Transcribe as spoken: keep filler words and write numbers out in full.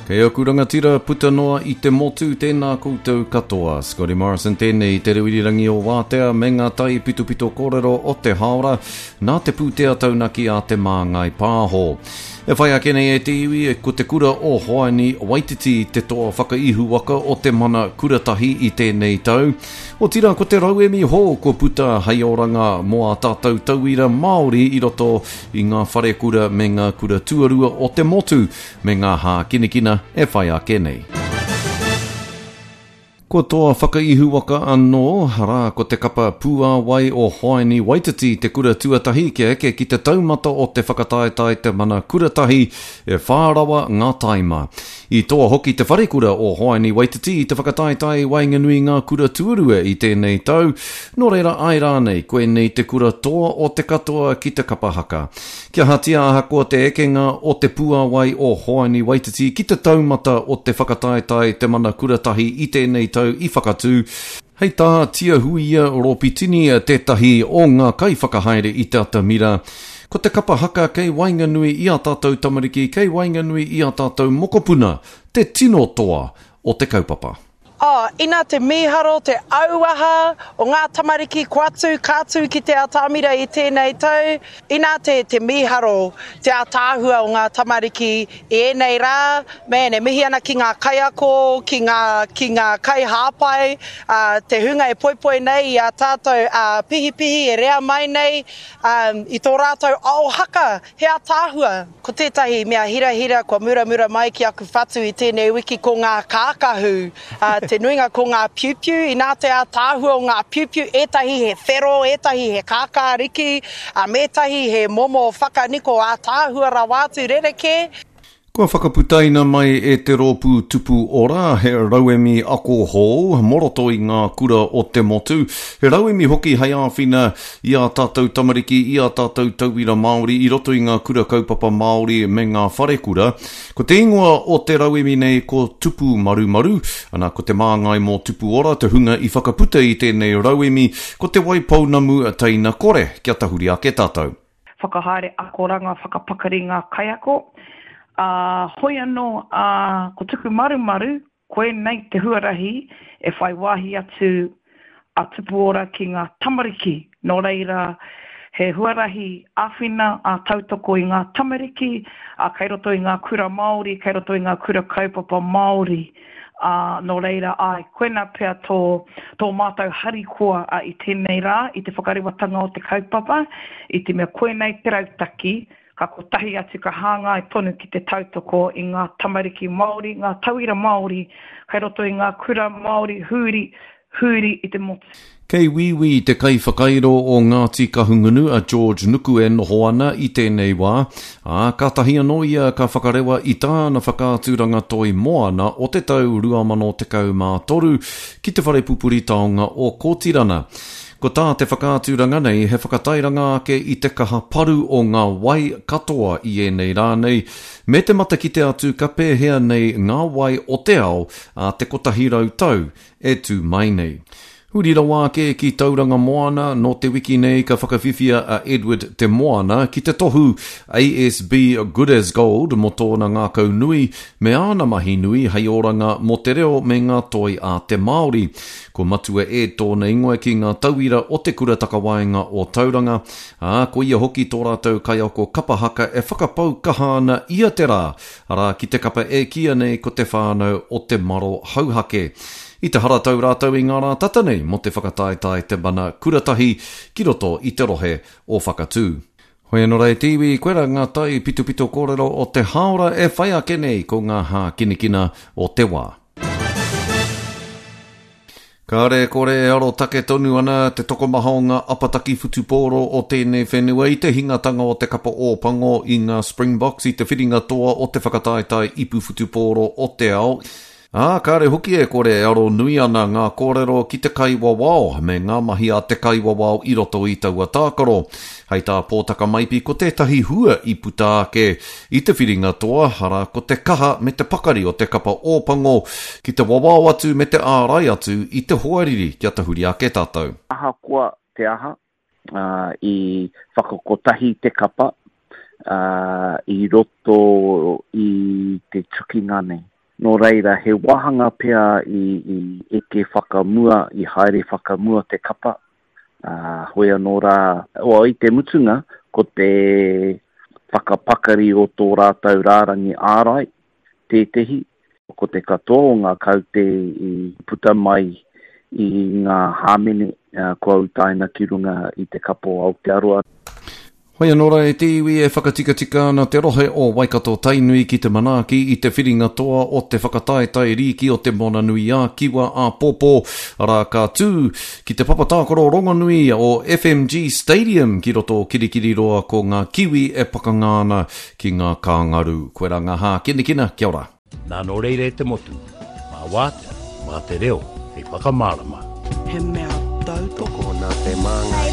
Kei aku rangatira puta noa i te motu, tēnā koutou katoa. Scotty Morrison tēnei i te reo irirangi o Wātea me ngā tai pitopito kōrero o te haora nā te pūtea taunaki a Te Māngai Pāho. E whai ake nei e te iwi, ko te kura o Hoani Waititi te toa whakaihuwaka o te mana kuratahi i tēnei tau. Otirā ko te rauemi hou kua puta hei oranga mō ā tātou tauira Māori i roto i ngā wharekura me ngā kura tuarua o te motu me ngā hākinakina e whai ake nei. Kua toa whakaihuwaka anō, arā ko te kapa Pūāwai o Hoani Waititi te kura tuatahi kia eke ki te taumata o te whakataetae te mana kuratahi e whā rawa ngā taima. I toa hoki te wharekura o Hoani Waititi i te whakataetae i waenganui i ngā kura tuarua i tēnei tau, nō reira āe rānei koinei te kura toa o te katoa ki te kapa haka. Kia ahatia ahakoa te ekenga o te Pūāwai o Hoani Waititi ki te taumata o te whakataetae te mana kuratahi i tēnei tau i Whakatū, hei tā Tiahuia Ropitini tētahi o ngā kaiwhakahaere i te atamira, ko te kapa haka kei waenganui i ā tātou tamariki, kei waenganui i ā tātou mokopuna, te tino toa o te kaupapa. Oh, ina te mīharo, te auaha o ngā tamariki kua tū, ka tū ki te atamira i tēnei tau. Ina te, te mīharo, te ātaahua o ngā tamariki i ēnei rā, man, e mihi ana ki ngā kaiako, ki ngā, ki ngā kaihāpai, uh, te hunga e poipoi nei i a tātou uh, pihipihi e rea mai nei um, i tō rātou ao haka, he ātaahua. Ko tētahi mea hirahira kua muramura mai ki aku whatu i tēnei wiki ko ngā kākahu, uh, te nuinga ko ngā piupiu, inā te ātaahua o ngā piupiu, ētahi he whero, ētahi he kākāriki, uh, mētahi he momo whakaniko ātaahua rawa atu rerekē. Kua whakaputaina mai e te rōpū Tupu Ora he rauemi ako hou mō roto i ngā kura o te motu, he rauemi hoki hei āwhina i ā tātou tamariki, i ā tātou tauira Māori i roto i ngā kura kaupapa Māori me ngā wharekura. Ko te ingoa o te rauemi nei ko Tupu Marumaru, ana ko te māngai mō Tupu Ora te hunga i whakaputa i tēnei rauemi, ko Te Waipounamu Teina Kore, kia tahuri ake tātou. Whakahaere akoranga whakapakari ngā kaiako, ā, hoi anō, ā, ko Tuku Marumaru, koinei te huarahi e whai wāhi atu a Tupu Ora ki ngā tamariki, nō reira, he huarahi āwhina, ā, tautoko i ngā tamariki, ā, kei roto i ngā kura Māori, kei roto i ngā kura kaupapa Māori, ā, nō reira, āe, koinā pea tō, tō mātou harikoa, ā, i tēnei rā, i te whakarewatanga o te kaupapa, i te mea koinei te rautaki, ka kotahi atu ka hāngai tonu ki te tautoko i ngā tamariki Māori, ngā tauira Māori kei roto i ngā kura Māori huri, huri i te motu. Kei Wīwī te kaiwhakairo o Ngāti Kahungunu a George Nuku e noho ana i tēnei wā, ā, kātahi anō ia ka whakarewa i tāna whakaaturanga toi moana o te tau rua mano tekau mā toru ki te whare pupuri taonga o Kōtirana. Ko tā te whakaaturanga nei he whakatairanga ake i te kaha paru o ngā wai katoa i ēnei rā nei, me te matakite atu ka pēhea nei ngā wai o te ao a te kotahi rau tau e tū mai nei. Huri rawa ake ki Tauranga Moana, nō te wiki nei ka whakawhiwhia a Edward Te Moana ki te tohu A S B Good as Gold mō tōna ngākau nui me āna mahi nui hei oranga mō te reo me ngā toi a te Māori. Ko Matua Ed tōna ingoa ki ngā tauira o te kura takawaenga o Tauranga, ā, ko ia hoki tō rātou kaiako kapa haka e whakapau kaha ana ia te rā, arā ki te kapa e kīia nei ko te whānau o te maro hauhake. I te haratau rātou i ngā rā tata nei mō te whakataetae te mana kuratahi ki roto i te rohe o Whakatū. Hoi anō rā e te iwi, koirā ngā tai pitopito kōrero o te hāora e whai ake nei ko ngā hākinakina o te wā. Kāre kore e arotake tonu ana te tokomaha o ngā apataki whutupōro o tēnei whenua i te hingatanga o te kapa Ōpango i ngā Springboks i te whiringa toa o te whakataetae ipu whutupōro o te ao. Ā, kāre hoki e kore e aro nui ana ngā kōrero ki te kaiwawao me ngā mahi a te kaiwawao i roto i taua tākaro. Hei tā Pōtaka Maipi ko tētahi hua i puta ake i te whiringa toa, arā ko te kaha me te pakari o te kapa Ōpango ki te wawao atu me te ārai atu i te hoariri kia tahuri ake tātou. Ahakoa te aha, ā, i whakakotahi te kapa, ā, i roto i te tukinga nei. Nō reira, he wāhanga pea i, i eke whakamua, i haere whakamua te kapa. Ā, hoi anō rā, well, i te mutunga, ko te whakapakari o tō rātou rārangi ārai tētehi, ko te katoa o ngā kaute i puta mai i ngā hāmene kua utaina ki runga i te Kapa o Aotearoa. Hoi anō rā e te iwi e whakatikatika ana te rohe o Waikato-Tainui ki te manaaki i te whiringa toa o te whakataetae rīki o Te Moana-nui-ā-Kiwa āpōpō, arā ka tū ki te papa tākaro rongonui o F M G Stadium ki roto o Kirikiriroa ko ngā Kiwi e pakanga ana ki ngā Kāngaru. Koirā ngā hākinakina, kia ora. Nā nō reira e te motu, mā wātea, mā te reo, hei whakamārama. He mea tautoko. Tokona te māngai.